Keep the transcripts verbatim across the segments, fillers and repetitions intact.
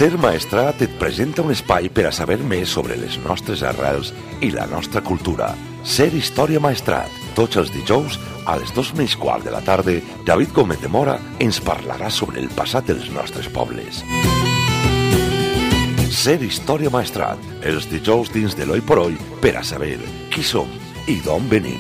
Ser Maestrat et presenta un espai per a saber més sobre les nostres arrels i la nostra cultura. Ser Història Maestrat. Tots els dijous, a les dos menys quart de la tarda, David Gómez de Mora ens parlarà sobre el passat dels nostres pobles. Ser Història Maestrat. Els dijous dins de l'Oi por Oi per a saber qui som i d'on venim.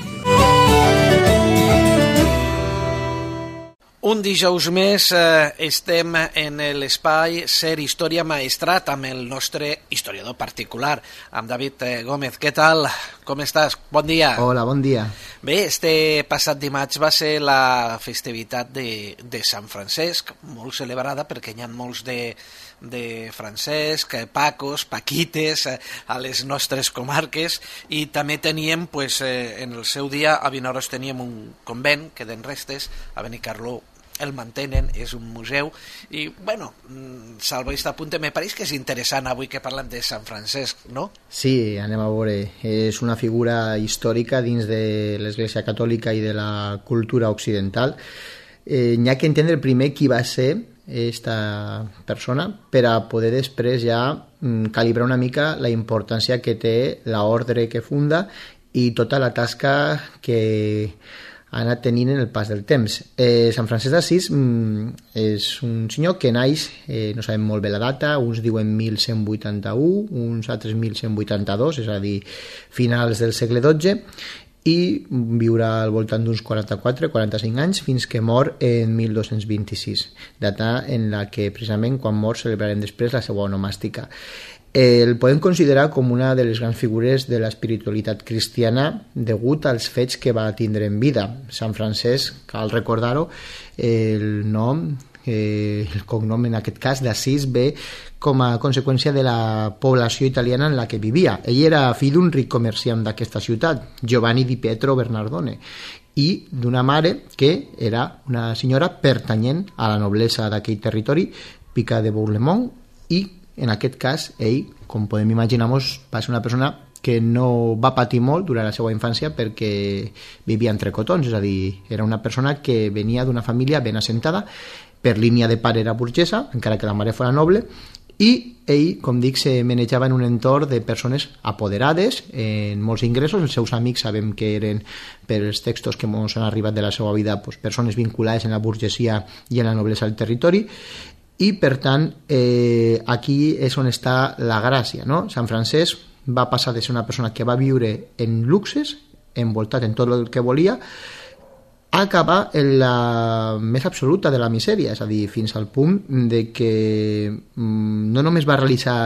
Un dijous més eh, estem en l'espai Ser Història Maestrat amb el nostre historiador particular, amb David eh, Gómez. Què tal? Com estàs? Bon dia. Hola, bon dia. Bé, este passat dimarts va ser la festivitat de, de Sant Francesc, molt celebrada perquè hi ha molts de, de Francesc, Pacos, Paquites eh, a les nostres comarques, i també teníem, pues, eh, en el seu dia, a Vinaròs teníem un convent, queden restes, a Benicarló el mantenen, és un museu, i, bueno, salvo aquest apunte, me pareix que és interessant avui que parlem de Sant Francesc, no? Sí, anem a veure. És una figura històrica dins de l'Església Catòlica i de la cultura occidental. Eh, n'hi ha que entendre primer qui va ser esta persona per a poder després ja mm, calibrar una mica la importància que té l'ordre que funda i tota la tasca que ha anat tenint en el pas del temps. Eh, Sant Francesc d'Assís mm, és un senyor que naix, eh, no sabem molt bé la data, uns diuen mil cent vuitanta-u, uns altres mil cent vuitanta-dos, és a dir, finals del segle dotze, i viurà al voltant d'uns quaranta-quatre quaranta-cinc anys fins que mor en mil dos-cents vint-i-sis, data en la que precisament quan mor celebrarem després la seva onomàstica. El podem considerar com una de les grans figures de l'espiritualitat cristiana degut als fets que va tindre en vida. Sant Francesc, cal recordar-ho, el nom, eh, el cognom en aquest cas d'Assís ve com a conseqüència de la població italiana en la que vivia. Ell era fill d'un ric comerciant d'aquesta ciutat, Giovanni di Pietro Bernardone, i d'una mare que era una senyora pertanyent a la noblesa d'aquell territori, Pica de Bourlemont, i en aquest cas, ell, com podem imaginar-nos, va ser una persona que no va patir molt durant la seva infància perquè vivia entre cotons, és a dir, era una persona que venia d'una família ben assentada, per línia de pare era burgesa, encara que la mare fora noble, i ell, com dic, se manejava en un entorn de persones apoderades, en molts ingressos. Els seus amics sabem que eren, per els textos que ens han arribat de la seva vida, pues, persones vinculades en la burgesia i en la noblesa del territori, i per tant eh, aquí és on està la gràcia, no? Sant Francesc va passar de ser una persona que va viure en luxes, envoltat en tot el que volia, a acabar en la més absoluta de la misèria, és a dir, fins al punt de que mm, no només va realitzar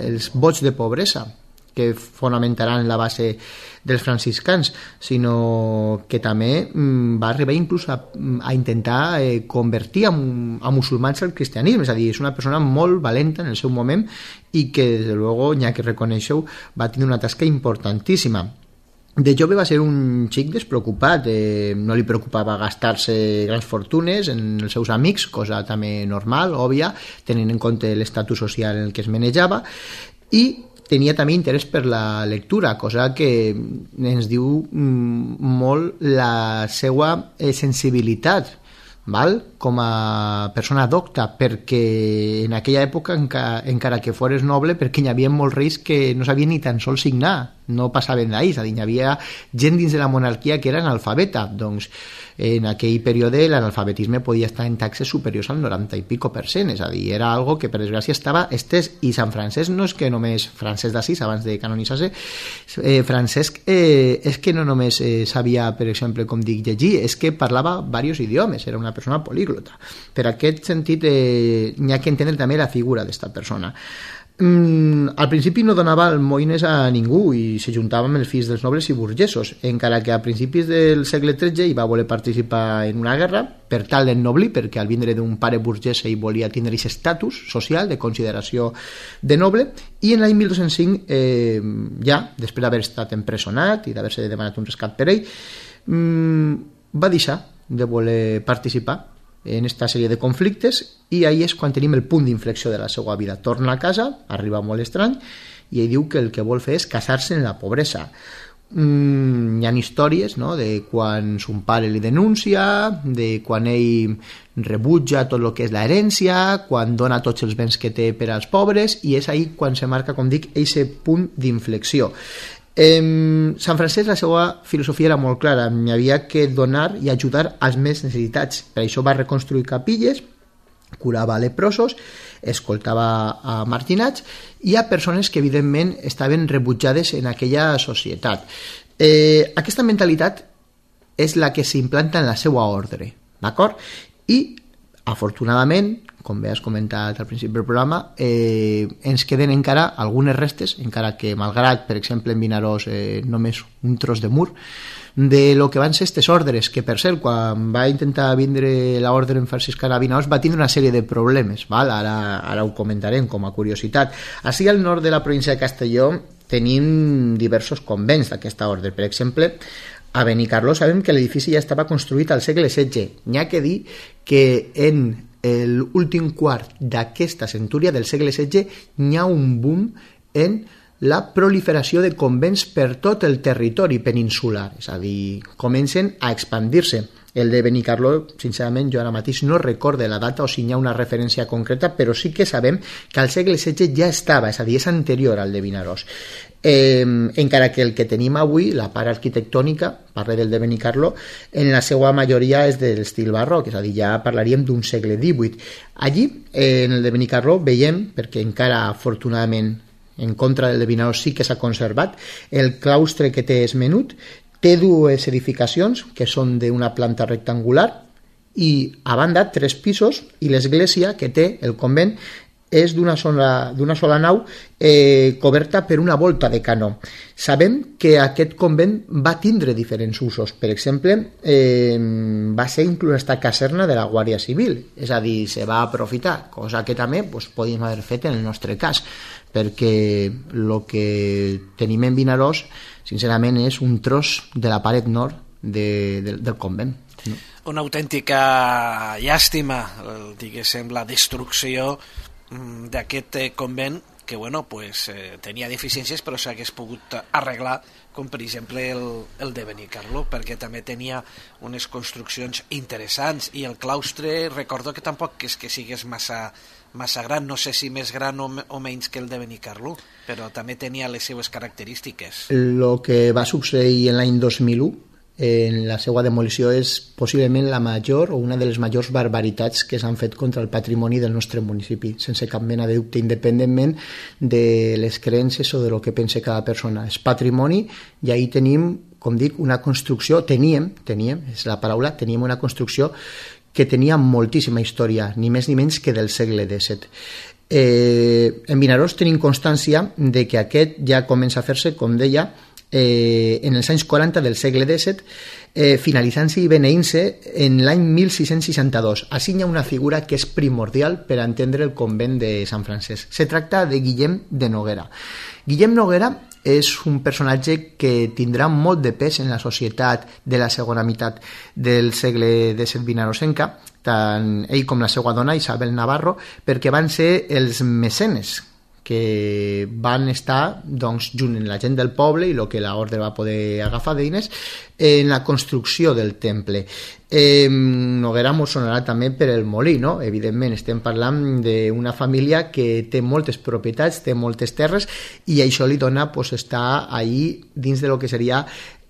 els vots de pobresa que fonamentaran la base dels franciscans, sinó que també mm, va arribar inclús a, a intentar eh, convertir a, a musulmans al cristianisme, és a dir, és una persona molt valenta en el seu moment i que, des de luego, n'hi ha que reconèixer-ho, va tenir una tasca importantíssima. De jove va ser un xic despreocupat, eh, no li preocupava gastar-se grans fortunes en els seus amics, cosa també normal, òbvia, tenint en compte l'estatus social en el que es manejava, i tenia també interès per la lectura, cosa que ens diu mm, molt la seva eh, sensibilitat, val? Com a persona docta, perquè en aquella època, enca, encara que fores noble, perquè hi havia molts reis que no sabien ni tan sols signar, no passaven d'ahir, és a dir, hi havia gent dins de la monarquia que era analfabeta, doncs en aquell període l'analfabetisme podia estar en taxes superiors al noranta i pico per cent, és a dir, era algo que per desgràcia estava estès, i Sant Francesc no és que només Francesc d'Assís, abans de canonitzar-se, eh, Francesc eh, és que no només eh, sabia, per exemple, com dic, llegir, és que parlava diversos idiomes, era una persona políglota. Per aquest sentit eh, n'hi ha que entendre també la figura d'esta persona. Mm, al principi no donava almoines a ningú i se juntava amb els fills dels nobles i burgesos, encara que a principis del segle tretze hi va voler participar en una guerra per tal d'ennoblir, perquè al vindre d'un pare burgès ell volia tindre aquest estatus social de consideració de noble, i en l'any mil dos-cents cinc eh, ja, després d'haver estat empresonat i d'haver-se demanat un rescat per ell, mm, va deixar de voler participar en aquesta sèrie de conflictes, i ahí és quan tenim el punt d'inflexió de la seva vida. Torna a casa, arriba molt estrany, i ell diu que el que vol fer és casar-se en la pobresa. mm, hi ha històries, no?, de quan son pare li denuncia, de quan ell rebutja tot el que és l'herència, quan dona tots els béns que té per als pobres, i és ahí quan se marca, com dic, aquest punt d'inflexió. Eh, Sant Francesc, la seva filosofia era molt clara, hi havia que donar i ajudar als més necessitats. Per això va reconstruir capilles, curava leprosos, escoltava a marginats i a persones que evidentment estaven rebutjades en aquella societat. Eh, aquesta mentalitat és la que s'implanta en la seva ordre, d'acord? I afortunadament, com bé has comentat al principi del programa, eh, ens queden encara algunes restes, encara que malgrat, per exemple, en Vinaròs eh, només un tros de mur, de lo que van ser aquestes ordres, que per cert, quan va intentar vindre l'ordre en franciscana a Vinaròs va tindre una sèrie de problemes, val? Ara, ara ho comentarem com a curiositat. Així al nord de la província de Castelló tenim diversos convents d'aquesta ordre. Per exemple, a Benicarló sabem que l'edifici ja estava construït al segle setze. N'hi ha que dir que en l'últim quart d'aquesta centúria del segle setze n'hi ha un boom en la proliferació de convents per tot el territori peninsular, és a dir, comencen a expandir-se. El de Benicarló, sincerament, jo ara mateix no recorde la data o si hi ha una referència concreta, però sí que sabem que al segle setze ja estava, és a dir, és anterior al de Vinaròs. Eh, encara que el que tenim avui, la part arquitectònica, parle del de Benicarló, en la seva majoria és de l'estil barroc, és a dir, ja parlaríem d'un segle divuit. Allí, eh, en el de Benicarló, veiem, perquè encara afortunadament en contra del de Vinaròs sí que s'ha conservat, el claustre que té és menut, té dues edificacions que són d'una planta rectangular i a banda tres pisos, i l'església que té el convent és d'una sola, d'una sola nau eh, coberta per una volta de canó. Sabem que aquest convent va tindre diferents usos. Per exemple, eh, va ser inclús esta caserna de la Guàrdia Civil, és a dir, se va aprofitar, cosa que també pues, podíem haver fet en el nostre cas, perquè el que tenim en Vinaròs, sincerament, és un tros de la paret nord de, de, del convent. No? Una autèntica llàstima, diguéssim, la destrucció d'aquest convent que bueno, pues, eh, tenia deficiències però s'hagués pogut arreglar, com per exemple el, el de Benicarló, perquè també tenia unes construccions interessants i el claustre recordo que tampoc és que sigués massa, massa gran, no sé si més gran o, o menys que el de Benicarló, però també tenia les seues característiques. El que va succeir en l'any dos mil u en la seva demolició és possiblement la major o una de les majors barbaritats que s'han fet contra el patrimoni del nostre municipi, sense cap mena de dubte, independentment de les creences o de lo que pense cada persona. És patrimoni i ahí tenim, com dic, una construcció, teníem, teníem, és la paraula, teníem una construcció que tenia moltíssima història, ni més ni menys que del segle disset. Eh, en Vinaròs tenim constància de que aquest ja comença a fer-se, com deia, Eh, en els anys quaranta del segle disset, eh, finalitzant-se i beneint-se en l'any mil sis-cents seixanta-dos. Així hi ha una figura que és primordial per entendre el convent de Sant Francesc. Se tracta de Guillem de Noguera. Guillem Noguera és un personatge que tindrà molt de pes en la societat de la segona meitat del segle disset vinaròsenca, tant ell com la seva dona, Isabel Navarro, perquè van ser els mecenes que van estar doncs, junt amb la gent del poble i el que l'ordre va poder agafar d'eines en la construcció del temple. Eh, Noguera mos sonarà també per el molí, no? Evidentment estem parlant d'una família que té moltes propietats, té moltes terres i això li dona pues, estar ahí dins de lo que seria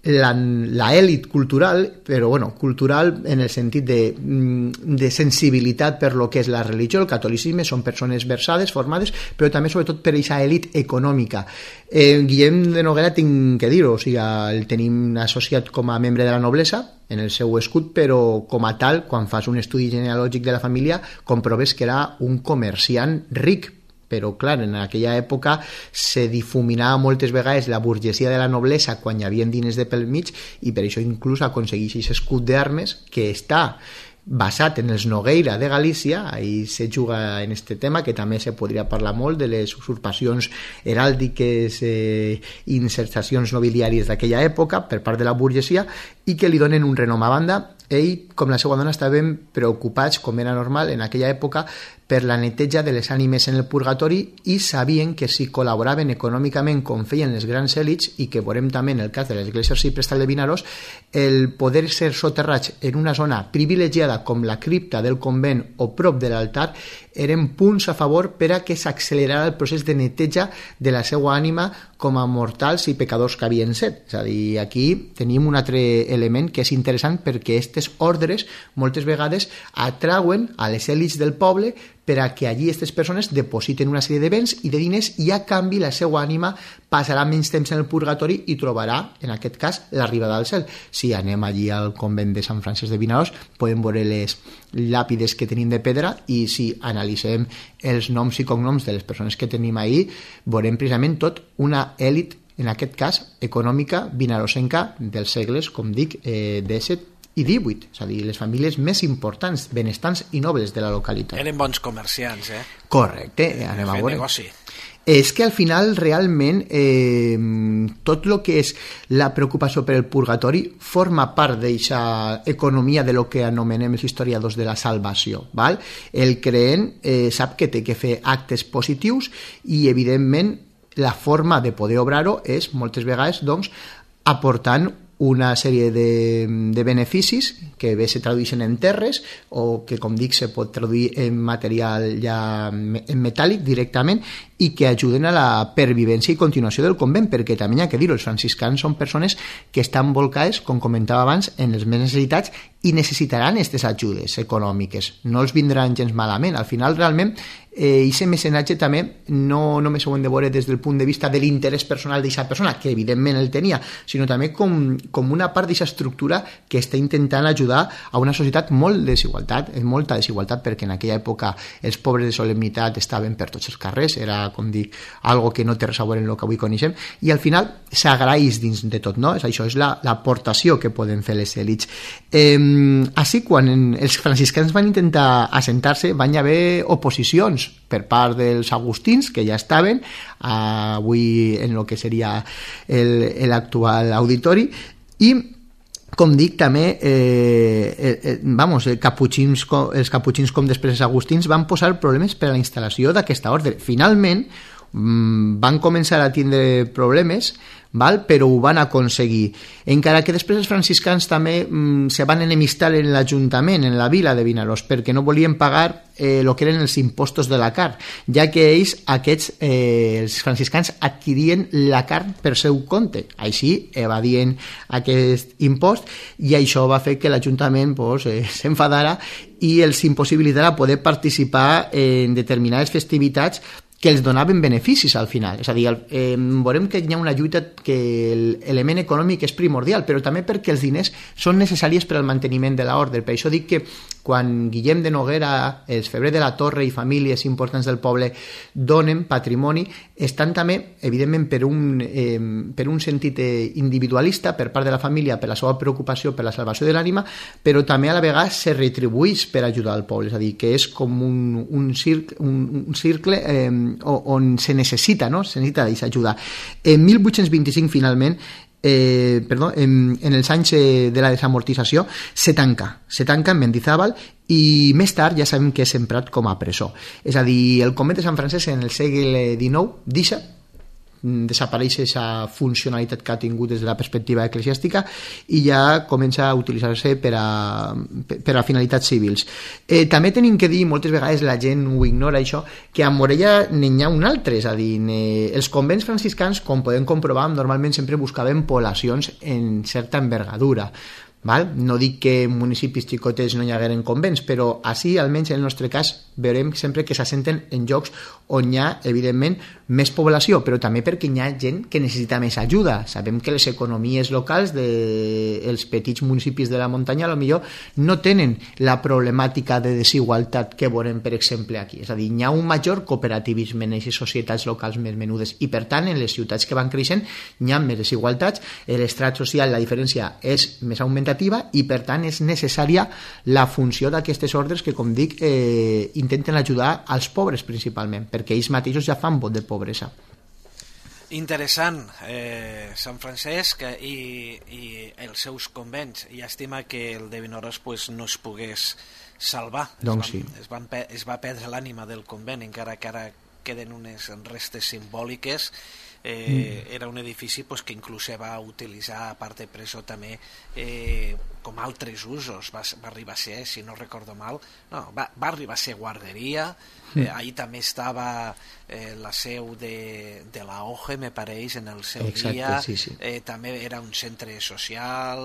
la, la èlit cultural, però bueno, cultural en el sentit de, de sensibilitat per lo que és la religió, el catolicisme, són persones versades, formades, però també sobretot per aquesta èlit econòmica. Eh, Guillem de Noguera tinc que dir-ho, o sigui, el tenim associat com a membre de la noblesa en el seu escut, però com a tal, quan fas un estudi genealògic de la família, comproves que era un comerciant ric, però clar, en aquella època se difuminava moltes vegades la burgesia de la noblesa quan hi havia diners de pel mig i per això inclús aconsegueix aquest escut d'armes que està basat en els Nogueira de Galícia, ahí se juga en este tema, que també se podria parlar molt de les usurpacions heràldiques eh, i insertacions nobiliàries d'aquella època per part de la burgesia i que li donen un renom. A banda, ell, com la seva dona, estaven preocupats, com era normal en aquella època, per la neteja de les ànimes en el purgatori i sabien que si col·laboraven econòmicament com feien les grans èlits, i que veurem també en el cas de l'església arciprestal de Vinaròs, el poder ser soterrats en una zona privilegiada com la cripta del convent o prop de l'altar eren punts a favor per a que s'accelerara el procés de neteja de la seva ànima com a mortals i pecadors que havien set. És a dir, aquí tenim un altre element que és interessant, perquè aquestes ordres moltes vegades atrauen a les èlits del poble per a que allí aquestes persones depositen una sèrie de béns i de diners, i a canvi la seva ànima passarà menys temps en el purgatori i trobarà, en aquest cas, l'arribada al cel. Si anem allí al convent de Sant Francesc de Vinaròs, podem veure les làpides que tenim de pedra, i si analitzem els noms i cognoms de les persones que tenim ahí, veurem precisament tot una èlit, en aquest cas, econòmica vinarosenca dels segles, com dic, eh, disset i divuit, és a dir, les famílies més importants, benestants i nobles de la localitat. Eren bons comerciants, eh? Correcte, anem a veure. Negoci. És que al final realment eh, tot el que és la preocupació per el purgatori forma part d'aquesta economia de lo que anomenem els historiadors de la salvació, val? El creent eh, sap que té que fer actes positius, i evidentment la forma de poder obrar-ho és moltes vegades, doncs, aportant una sèrie de, de beneficis que bé se tradueixen en terres, o que, com dic, se pot traduir en material ja en metàl·lic directament, i que ajuden a la pervivència i continuació del convent, perquè també hi ha que dir-ho, els franciscans són persones que estan volcades, com comentava abans, en les més necessitats, i necessitaran aquestes ajudes econòmiques, no els vindran gens malament. Al final, realment, eh, aquest mecenatge també no només ho hem de veure des del punt de vista de l'interès personal d'aquesta persona, que evidentment el tenia, sinó també com, com una part d'aquesta estructura que està intentant ajudar a una societat molt desigualtat, molta desigualtat, perquè en aquella època els pobres de solemnitat estaven per tots els carrers, era, com dic, algo que no té res a veure en el que avui coneixem, i al final s'agraeix dins de tot, no? És això, és l'aportació la, que poden fer les èlits. Eh, així, quan en, els franciscans van intentar assentar-se, van haver oposicions per part dels agustins, que ja estaven avui en el que seria l'actual auditori, i com dic, també eh, eh, vamos, eh, caputxins, els caputxins, com després els agustins, van posar problemes per a la instal·lació d'aquesta ordre. Finalment mmm, van començar a tindre problemes, val? Però ho van aconseguir, encara que després els franciscans també mmm, se van enemistar en l'Ajuntament, en la vila de Vinaròs, perquè no volien pagar eh, el que eren els impostos de la carn, ja que ells, aquests, eh, els franciscans, adquirien la carn per seu compte, així evadien aquest impost, i això va fer que l'Ajuntament pues, eh, s'enfadara i els impossibilitara poder participar en determinades festivitats que els donaven beneficis al final. És a dir, eh, veurem que hi ha una lluita que l'element econòmic és primordial, però també perquè els diners són necessaris per al manteniment de l'ordre. Per això dic que quan Guillem de Noguera, els Febrer de la Torre i famílies importants del poble donen patrimoni, estan també, evidentment, per un, eh, per un sentit individualista per part de la família, per la seva preocupació per la salvació de l'ànima, però també a la vegada se retribueix per ajudar al poble. És a dir, que és com un, un, circ, un, un circle eh, on se necessita, no? Se necessita d'aquesta ajuda. En mil vuit-cents vint-i-cinc, finalment, eh, perdó, en, en els anys de la desamortització, se tanca, se tanca en Mendizábal, i més tard ja sabem que és emprat com a presó. És a dir, el convent de Sant Francesc en el segle dinou deixa, desapareix aquesta funcionalitat que ha tingut des de la perspectiva eclesiàstica i ja comença a utilitzar-se per a, per a finalitats civils. Eh, també tenim que dir, moltes vegades la gent ho ignora això, que a Morella n'hi ha un altre, és a dir, els convents franciscans, com podem comprovar, normalment sempre buscaven poblacions en certa envergadura. Val? No dic que en municipis xicotets no hi hagueren convents, però així, almenys en el nostre cas, veurem sempre que s'assenten en llocs on hi ha, evidentment, més població, però també perquè hi ha gent que necessita més ajuda. Sabem que les economies locals dels petits municipis de la muntanya potser no tenen la problemàtica de desigualtat que veurem, per exemple, aquí. És a dir, hi ha un major cooperativisme en aquestes societats locals més menudes i, per tant, en les ciutats que van creixent hi ha més desigualtats, l'estrat social, la diferència és més augmentada i, per tant, és necessària la funció d'aquestes ordres que, com dic, eh, intenten ajudar als pobres principalment, perquè ells mateixos ja fan vot de pobresa. Interessant, eh, Sant Francesc i, i els seus convents. Llàstima que el de Vinaròs pues, no es pogués salvar. Doncs es, van, sí. es, van, es va perdre l'ànima del convent, encara que ara queden unes restes simbòliques. Eh, mm. Era un edifici pues, que inclús se va utilitzar, a part de presó, també eh, com altres usos. Va, va arribar a ser, si no recordo mal, no, va, va arribar a ser guarderia. Eh, ahí també estava eh, la seu de, de la O G E, me pareix, en el seu Exacte, dia. Sí, sí. Eh, també era un centre social,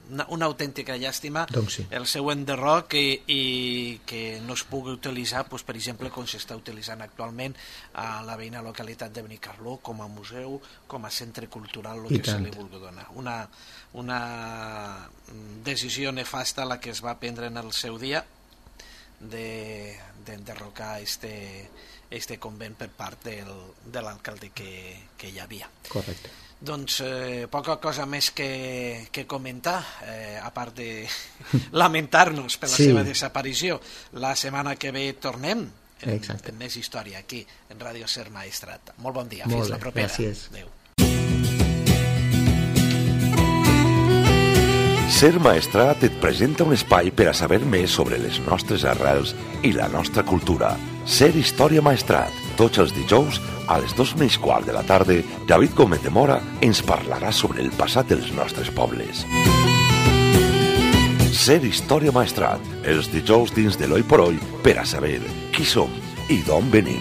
una, una autèntica llàstima, doncs sí. El seu enderroc i, i que no es pugui utilitzar, doncs, per exemple, com s'està utilitzant actualment a la veïna localitat de Benicarló, com a museu, com a centre cultural, el I que tant. se li vulgui donar. Una, una decisió nefasta la que es va prendre en el seu dia, de d'enderrocar este, este convent per part del, de l'alcalde que, que hi havia. Correcte. Doncs eh, poca cosa més que, que comentar, eh, a part de lamentar-nos per la Sí. seva desaparició. La setmana que ve tornem en, Exacte. en més història aquí, en Ràdio Ser Maestrat. Molt bon dia, Molt fins bé, la propera. gràcies. Adéu. Ser Maestrat et presenta un espai per a saber més sobre les nostres arrels i la nostra cultura. Ser Història Maestrat. Tots els dijous, a les dos menys quart de la tarda, David Gómez de Mora ens parlarà sobre el passat dels nostres pobles. Ser Història Maestrat. Els dijous dins de l'Oi por Oi per a saber qui som i d'on venim.